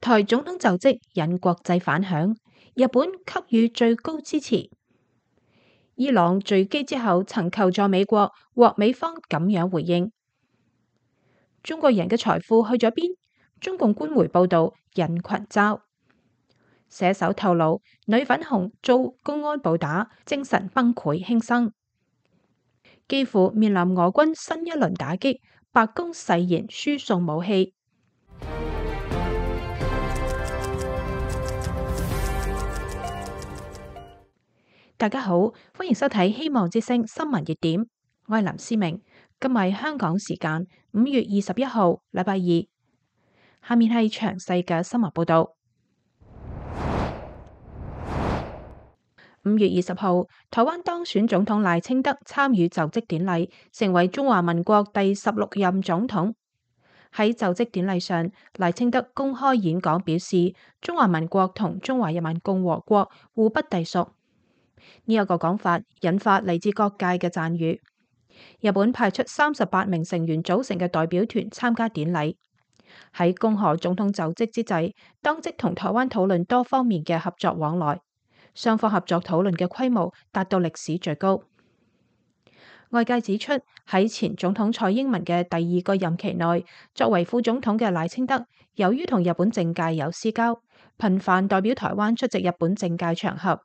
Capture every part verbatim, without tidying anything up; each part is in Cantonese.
台總統就職引國際反響，日本給予最高支持。伊朗墜機之後曾求助美國，獲美方咁樣回應。中國人嘅財富去咗邊？中共官媒報道引群嘲。寫手透露女粉紅遭公安暴打，精神崩潰輕生。幾乎面臨俄軍新一輪打擊，白宮誓言輸送武器。大家好，歡迎收睇《希望之聲》新聞熱點，我係林思明。今日係香港時間五月二十一號，禮拜二。下面係詳細嘅新聞報道。五月二十號，台灣當選總統賴清德參與就職典禮，成為中華民國第十六任總統。喺就職典禮上，賴清德公開演講表示，中華民國同中華人民共和國互不隸屬。呢一個講法引發嚟自各界嘅讚譽。日本派出三十八名成員組成嘅代表團參加典禮。喺恭賀總統就職之際，當即同台灣討論多方面嘅合作往來。雙方合作討論嘅規模達到歷史最高。外界指出，喺前總統蔡英文嘅第二個任期內，作為副總統嘅賴清德，由於同日本政界有私交，頻繁代表台灣出席日本政界場合，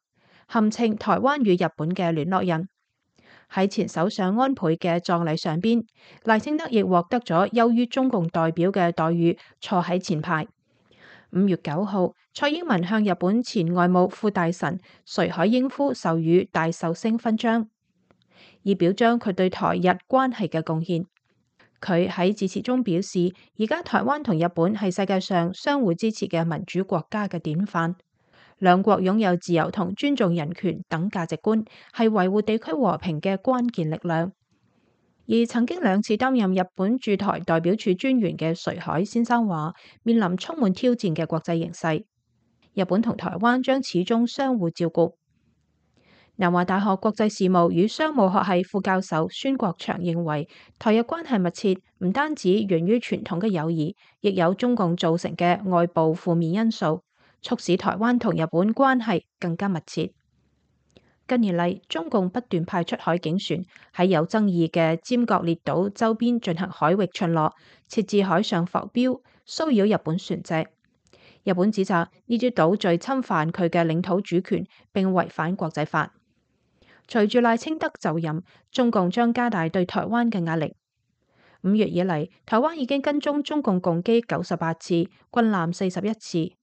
堪稱台灣與日本嘅聯絡人。喺前首相安倍嘅葬禮上邊，賴清德亦獲得咗優於中共代表嘅待遇，坐喺前排。五月九號，蔡英文向日本前外務副大臣垂海英夫授予大壽星勳章，以表彰佢對台日關係嘅貢獻。佢喺致辭中表示，而家台灣同日本係世界上相互支持嘅民主國家嘅典範，兩國擁有自由同尊重人權等價值觀，係維護地區和平嘅關鍵力量。而曾經兩次擔任日本駐台代表處專員嘅垂海先生話，面臨充滿挑戰嘅國際形勢，日本同台灣將始終相互照顧。南華大學國際事務與商務學系副教授孫國祥認為，台日關係密切唔單止源於傳統嘅友誼，亦有中共造成嘅外部負面因素，促使台灣同日本關係更加密切。近年嚟，中共不斷派出海警船喺有爭議嘅尖閣列島周邊進行海域巡邏，設置海上浮標，騷擾日本船隻。日本指責呢啲島嶼侵犯佢嘅領土主權，並違反國際法。隨住賴清德就任，中共將加大對台灣嘅壓力。五月以嚟，台灣已經跟蹤中共共機九十八次，軍艦四十一次。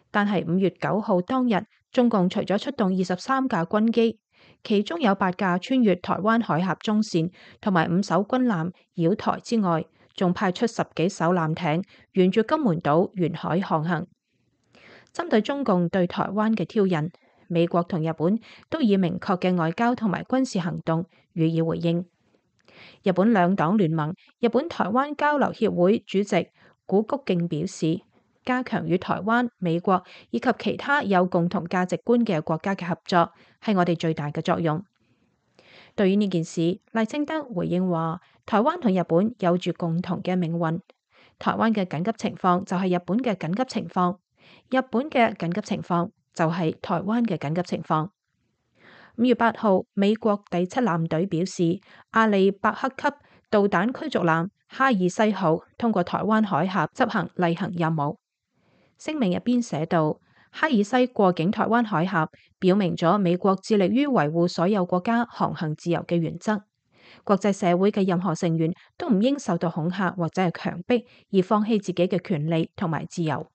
但係五月九號當日，中共除咗出動二十三架軍機，其中有八架穿越台灣海峽中線，同埋五艘軍艦繞台之外，仲派出十幾艘艦艇沿住金門島沿海航行。針對中共對台灣嘅挑釁，美國同日本都以明確嘅外交同埋軍事行動予以回應。日本兩黨聯盟日本台灣交流協會主席古谷敬表示，加強與台灣、美國以及其他有共同價值觀嘅國家嘅合作，係我哋最大嘅作用。對於呢件事，賴清德回應話，台灣同日本有住共同嘅命運。台灣嘅緊急情況就係日本嘅緊急情況，日本嘅緊急情況就係台灣嘅緊急情況。五月八號，美國第七艦隊表示，阿利伯克級導彈驅逐艦哈爾西號通過台灣海峽執行例行任務。聲明入邊寫道，哈爾西過境台灣海峽，表明咗美國致力於維護所有國家航行自由嘅原則。國際社會嘅任何成員都唔應受到恐嚇或者係強迫而放棄自己嘅權利同埋自由。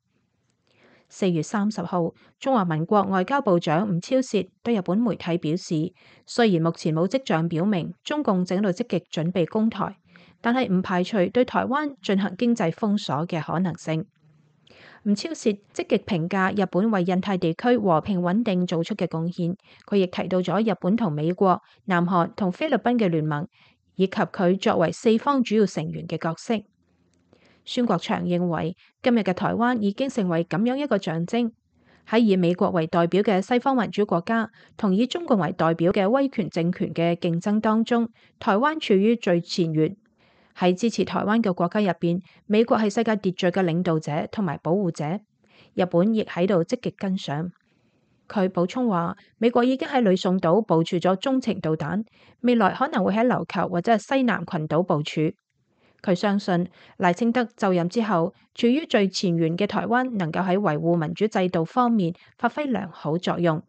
四月三十號，中華民國外交部長吳釗燮對日本媒體表示，雖然目前冇跡象表明中共正喺度積極準備攻台，但係唔排除對台灣進行經濟封鎖嘅可能性。吳釗燮積極評價日本為印太地區和平穩定做出嘅貢獻，佢亦提到咗日本同美國、南韓同菲律賓嘅聯盟，以及佢作為四方主要成員嘅角色。孫國祥認為，今日嘅台灣已經成為咁樣一個象徵，喺以美國為代表嘅西方民主國家同以中共為代表嘅威權政權嘅競爭當中，台灣處於最前沿。喺支持台灣嘅國家入邊，美國係世界秩序嘅領導者同埋保護者，日本亦喺度積極跟上。佢補充話，美國已經喺呂宋島部署咗中程導彈，未來可能會喺琉球或者係西南群島部署。佢相信賴清德就任之後，處於最前沿嘅台灣能夠喺維護民主制度方面發揮良好作用。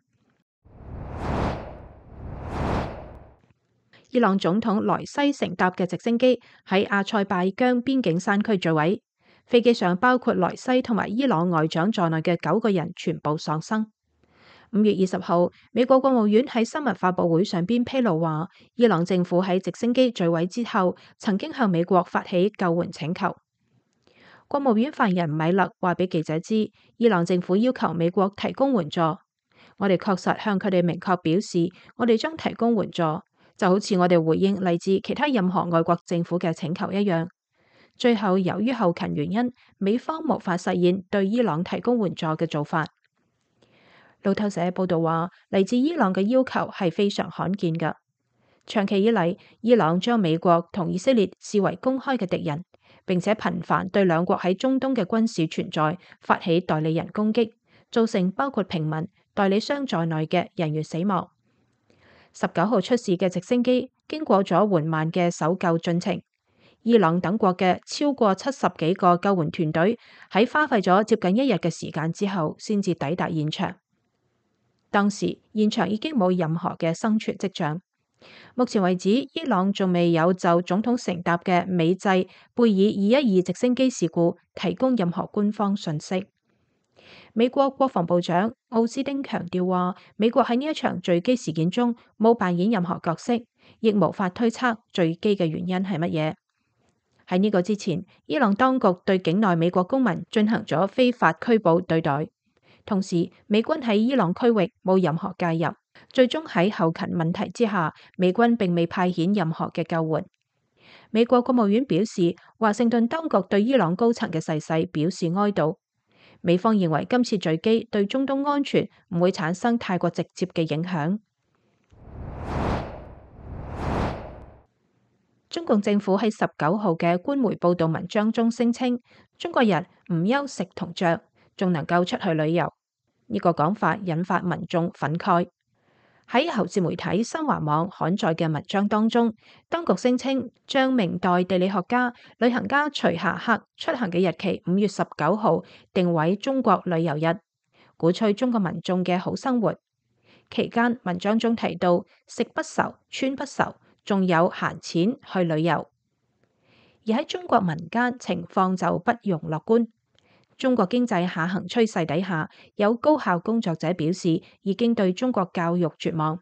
伊朗總統萊西乘搭嘅直升機喺阿塞拜疆邊境山區墜毀，飛機上包括萊西同埋伊朗外長在內嘅九個人全部喪生。五月二十號，美國國務院喺新聞發佈會上邊披露話，伊朗政府喺直升機墜毀之後，曾經向美國發起救援請求。國務院發言人米勒話俾記者知，伊朗政府要求美國提供援助，我哋確實向佢哋明確表示，我哋將提供援助，就好似我哋回應嚟自其他任何外國政府嘅請求一樣。最後，由於後勤原因，美方無法實現對伊朗提供援助嘅做法。路透社報道話，嚟自伊朗嘅要求係非常罕見嘅。長期以嚟，伊朗將美國同以色列視為公開嘅敵人，並且頻繁對兩國喺中東嘅軍事存在發起代理人攻擊，造成包括平民、代理商在內嘅人員死亡。十九號出事嘅直升機經過咗緩慢嘅搜救進程，伊朗等國嘅超過七十幾個救援團隊喺花費咗接近一日嘅時間之後，先至抵達現場。當時現場已經冇任何嘅生存跡象。目前為止，伊朗仲未有就總統乘搭嘅美製貝爾二一二直升機事故提供任何官方信息。美國國防部長奧斯汀強調話，美國喺呢一場墜機事件中冇扮演任何角色，亦無法推測墜機嘅原因係乜嘢。喺呢個之前，伊朗當局對境內美國公民進行咗非法拘捕對待。同時，美軍喺伊朗區域冇任何介入，最終喺後勤問題之下，美軍並未派遣任何嘅救援。美國國務院表示，華盛頓當局對伊朗高層嘅逝世表示哀悼。美方認為今次墜機對中東安全唔會產生太過直接嘅影響。中共政府喺十九號嘅官媒報道文章中聲稱，中國人唔憂食同着，仲能夠出去旅遊。呢個講法引發民眾憤慨。喺喉舌媒體新華網刊載嘅文章當中，當局聲稱將明代地理學家、旅行家徐霞客出行嘅日期五月十九號定為中國旅遊日，鼓吹中國民眾嘅好生活。期間文章中提到食不愁、穿不愁，仲有閒錢去旅遊。而喺中國民間情況就不容樂觀。中國經濟下行趨勢底下，有高校工作者表示已經對中國教育絕望，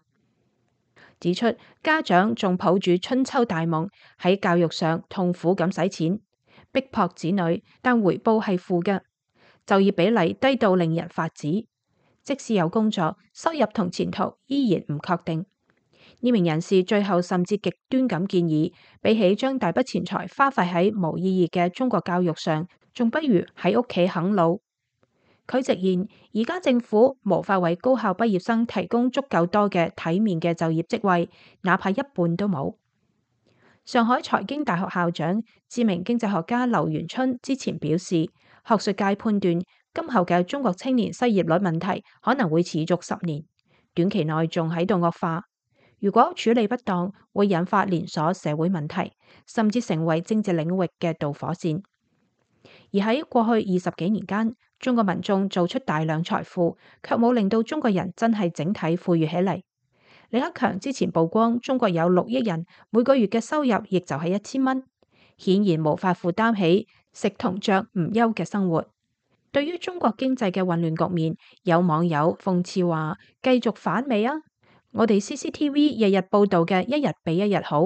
指出家長仲抱住春秋大夢喺教育上痛苦咁使錢，逼迫子女，但回報係負嘅，就業比例低到令人髮指，即使有工作，收入同前途依然唔確定。呢名人士最後甚至極端咁建議，比起將大筆錢財花費喺無意義嘅中國教育上，仲不如喺屋企啃老。佢直言，而家政府無法為高校畢業生提供足夠多嘅體面嘅就業職位，哪怕一半都冇。上海財經大學校長、知名經濟學家劉元春之前表示，學術界判斷今後嘅中國青年失業率問題可能會持續十年，短期內仲喺度惡化。如果處理不當，會引發連鎖社會問題，甚至成為政治領域嘅導火線。而喺過去二十幾年間，中國民眾做出大量財富，卻冇令到中國人真係整體富裕起嚟。李克強之前曝光中國有六億人每個月嘅收入，亦就係一千蚊，顯然無法負擔起食同着唔憂嘅生活。對於中國經濟嘅混亂局面，有網友諷刺話：繼續反美啊！我哋 C C T V 日日報道嘅一日比一日好，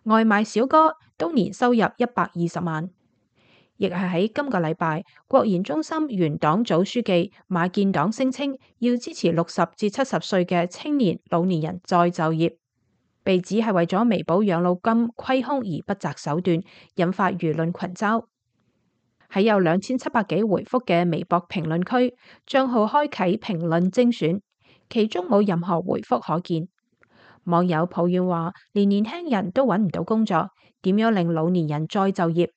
外賣小哥都年收入一百二十萬。亦係喺今個禮拜，國研中心原黨組書記馬建黨聲稱要支持六十至七十歲嘅青年老年人再就業，被指係為咗彌補養老金虧空而不擇手段，引發輿論群嘲。喺有兩千七百幾回覆嘅微博評論區，賬號開啟評論精選，其中冇任何回覆可見。網友抱怨話，連年輕人都揾唔到工作，點樣令老年人再就業？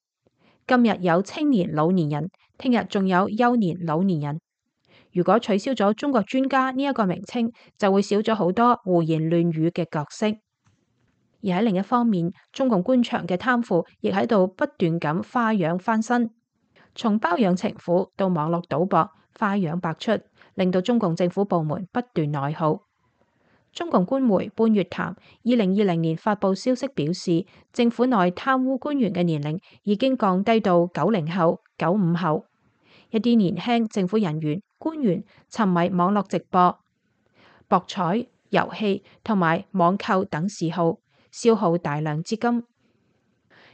今日有青年老年人，聽日仲有幼年老年人。如果取消咗中國專家呢一個名稱，就會少咗好多胡言亂語嘅角色。而喺另一方面，中共官場嘅貪腐亦喺度不斷咁花樣翻新，從包養情婦到網絡賭博，花樣百出，令到中共政府部門不斷內耗。中共官媒半月談二零二零年發布消息表示，政府內貪污官員嘅年齡已經降低到九零後、九五後，一啲年輕政府人員、官員沉迷網絡直播、博彩、遊戲同埋網購等嗜好，消耗大量資金。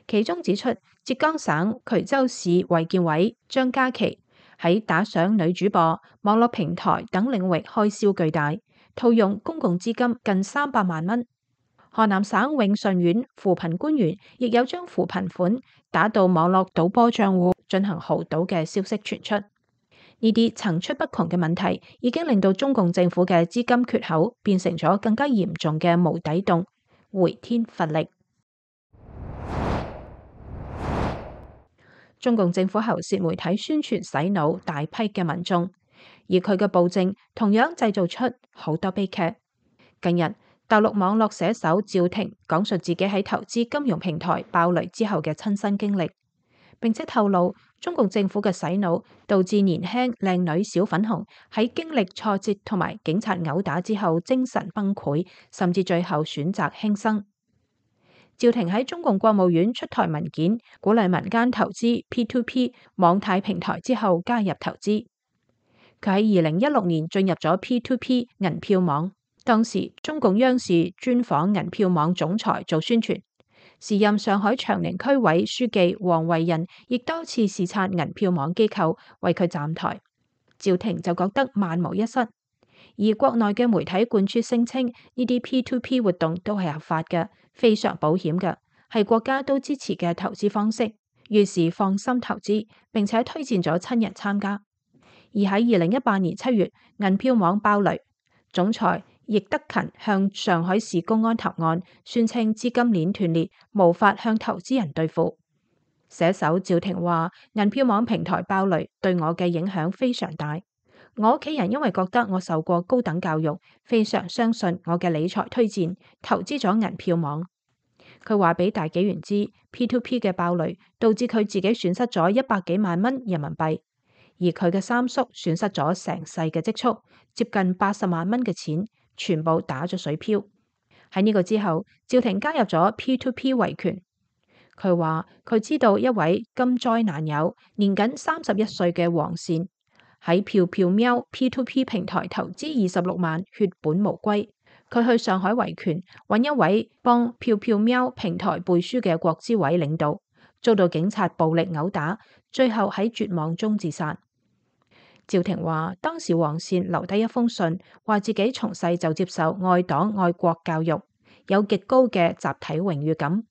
其中指出，浙江省衢州市衛健委張家琪喺打賞女主播、網絡平台等領域開銷巨大，套用公共資金近三百萬蚊。河南省永順縣扶貧官員亦有將扶貧款打到網絡賭波賬戶進行豪賭嘅消息傳出。呢啲層出不窮嘅問題，已經令到中共政府嘅資金缺口變成咗更加嚴重嘅無底洞，回天乏力。中共政府喉舌媒體宣傳洗腦大批嘅民眾，而佢嘅暴政同樣製造出好多悲劇。近日，大陸網絡寫手趙婷講述自己喺投資金融平台爆雷之後嘅親身經歷，並且透露中共政府嘅洗腦導致年輕靚女小粉紅喺經歷挫折同埋警察毆打之後精神崩潰，甚至最後選擇輕生。趙婷喺中共國務院出台文件，鼓勵民間投資 P to P 網貸平台之後加入投資。佢喺二零一六年進入咗 P to P 銀票網，當時中共央視專訪銀票網總裁做宣傳，時任上海長寧區委書記王維仁亦多次視察銀票網機構為佢站台。趙婷就覺得萬無一失，而國內嘅媒體灌輸聲稱呢啲 P to P 活動都係合法嘅，非常保險嘅，係國家都支持嘅投資方式，於是放心投資，並且推薦咗親人參加。而喺二零一八年七月，銀票網爆雷，總裁易德勤向上海市公安投案，宣稱資金鏈斷裂，無法向投資人兌付。寫手趙婷話：銀票網平台爆雷對我嘅影響非常大，我屋企人因為覺得我受過高等教育，非常相信我嘅理財推薦，投資咗銀票網。佢話俾大紀元知 P to P 嘅爆雷導致佢自己損失咗一百幾萬蚊人民幣，而佢嘅三叔損失咗成世嘅積蓄，接近八十萬蚊嘅錢，全部打咗水漂。喺呢個之後，趙婷加入咗 P to P 維權。佢話佢知道一位金災難友，年僅三十一歲嘅黃善喺票票喵 P to P 平台投資二十六萬，血本無歸。佢去上海維權，揾一位幫票票喵平台背書嘅國資委領導，遭到警察暴力毆打，最後喺絕望中自殺。趙婷話當時黃善留低一封信，話自己從細就接受愛黨愛國教育，有極高嘅集體榮譽感。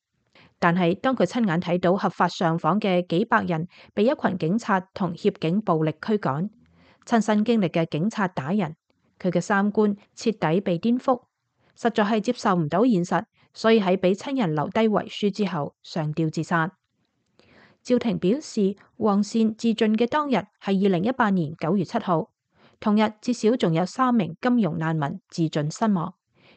但係當佢親眼睇到合法上訪嘅幾百人被一群警察同協警暴力驅趕，親身經歷嘅警察打人，佢嘅三觀徹底被顛覆，實在係接受唔到現實，所以喺俾親人留低遺書之後上吊自殺。趙婷表示，黃善自盡嘅當日係二零一八年九月七號，同日至少仲有三名金融難民自盡身亡，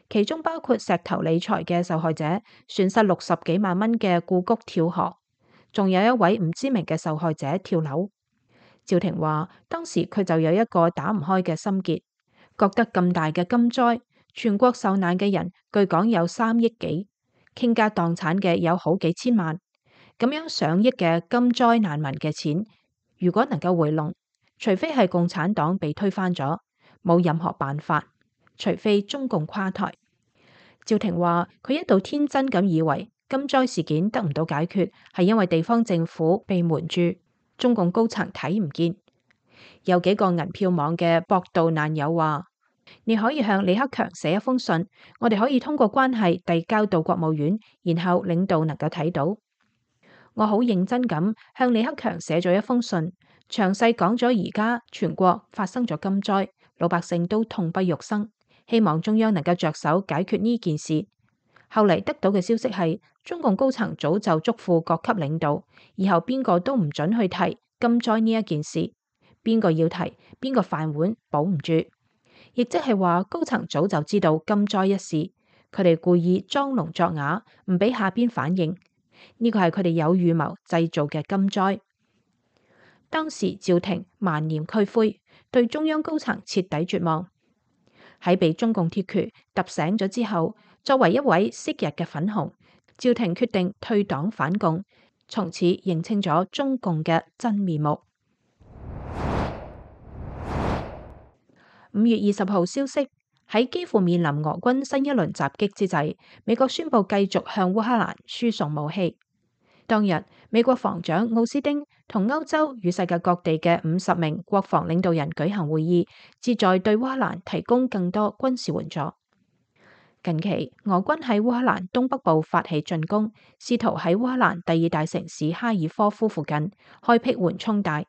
其中包括石頭理財嘅受害者，損失六十幾萬蚊嘅故谷跳河，仲有一位唔知名嘅受害者跳樓。趙婷話，當時佢就有一個打唔開嘅心結，覺得咁大嘅金災，全國受難嘅人據講有三億幾，傾家蕩產嘅有好幾千萬。咁樣上億嘅金災難民嘅錢，如果能夠回籠，除非係共產黨被推翻咗，冇任何辦法，除非中共垮台。趙婷話佢一度天真咁以為金災事件得唔到解決，係因為地方政府被瞞住，中共高層睇唔見。有幾個銀票網嘅博道難友話，你可以向李克強寫一封信，我哋可以通過關係遞交到國務院，然後領導能夠睇到。我好認真咁向李克強寫咗一封信，詳細講咗而家全國發生咗金災，老百姓都痛不欲生，希望中央能夠着手解決呢件事。後嚟得到嘅消息係，中共高層早就囑咐各級領導，以後邊個都唔准去提金災呢一件事，邊個要提，邊個飯碗保唔住。亦即係話，高層早就知道金災一事，佢哋故意裝聾作啞，唔俾下邊反應。呢個係佢哋有預謀製造嘅金災。當時趙廷萬念俱灰，對中央高層徹底絕望。喺被中共鐵拳揼醒咗之後，作為一位昔日嘅粉紅，趙廷決定退黨反共，從此認清咗中共嘅真面目。五月二十號消息，喺幾乎面臨俄軍新一輪襲擊之際，美國宣布繼續向烏克蘭輸送武器。當日，美國防長奧斯汀同歐洲與世界各地嘅五十名國防領導人舉行會議，旨在對烏克蘭提供更多軍事援助。近期，俄軍喺烏克蘭東北部發起進攻，試圖喺烏克蘭第二大城市哈爾科夫附近開闢緩衝帶，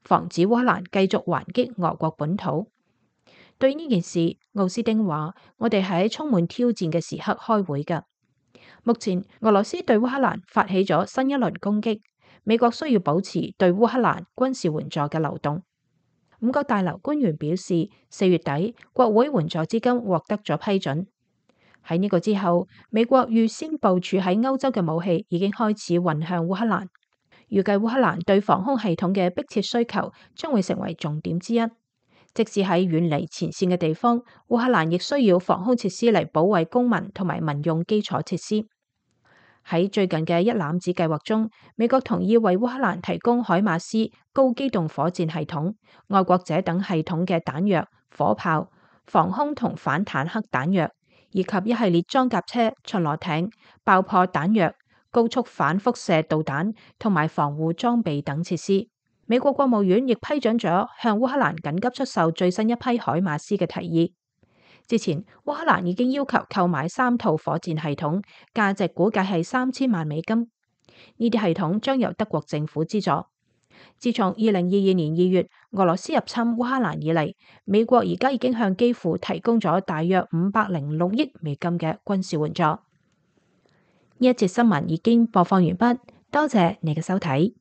防止烏克蘭繼續還擊俄國本土。對於呢件事，奧斯汀話：我哋係喺充滿挑戰嘅時刻開會㗎。目前，俄羅斯對烏克蘭發起咗新一輪攻擊，美國需要保持對烏克蘭軍事援助嘅流動。五角大樓官員表示，四月底國會援助資金獲得咗批准。喺呢個之後，美國預先部署喺歐洲嘅武器已經開始運向烏克蘭。預計烏克蘭對防空系統嘅迫切需求將會成為重點之一。即使喺遠離前線嘅地方，烏克蘭亦需要防空設施嚟保衛公民同埋民用基礎設施。喺最近嘅一攬子計劃中，美國同意為烏克蘭提供海馬斯高機動火箭系統、愛國者等系統嘅彈藥、火炮、防空同反坦克彈藥，以及一系列裝甲車、巡邏艇、爆破彈藥、高速反輻射導彈同埋防護裝備等設施。美國國務院亦批准咗向烏克蘭緊急出售最新一批海馬斯嘅提議。之前，烏克蘭已經要求購買三套火箭系統，價值估計係三千萬美金。呢啲系統將由德國政府資助。自從二零二二年二月俄羅斯入侵烏克蘭以嚟，美國而家已經向基輔提供咗大約五百零六億美金嘅軍事援助。呢一節新聞已經播放完畢，多謝你嘅收睇。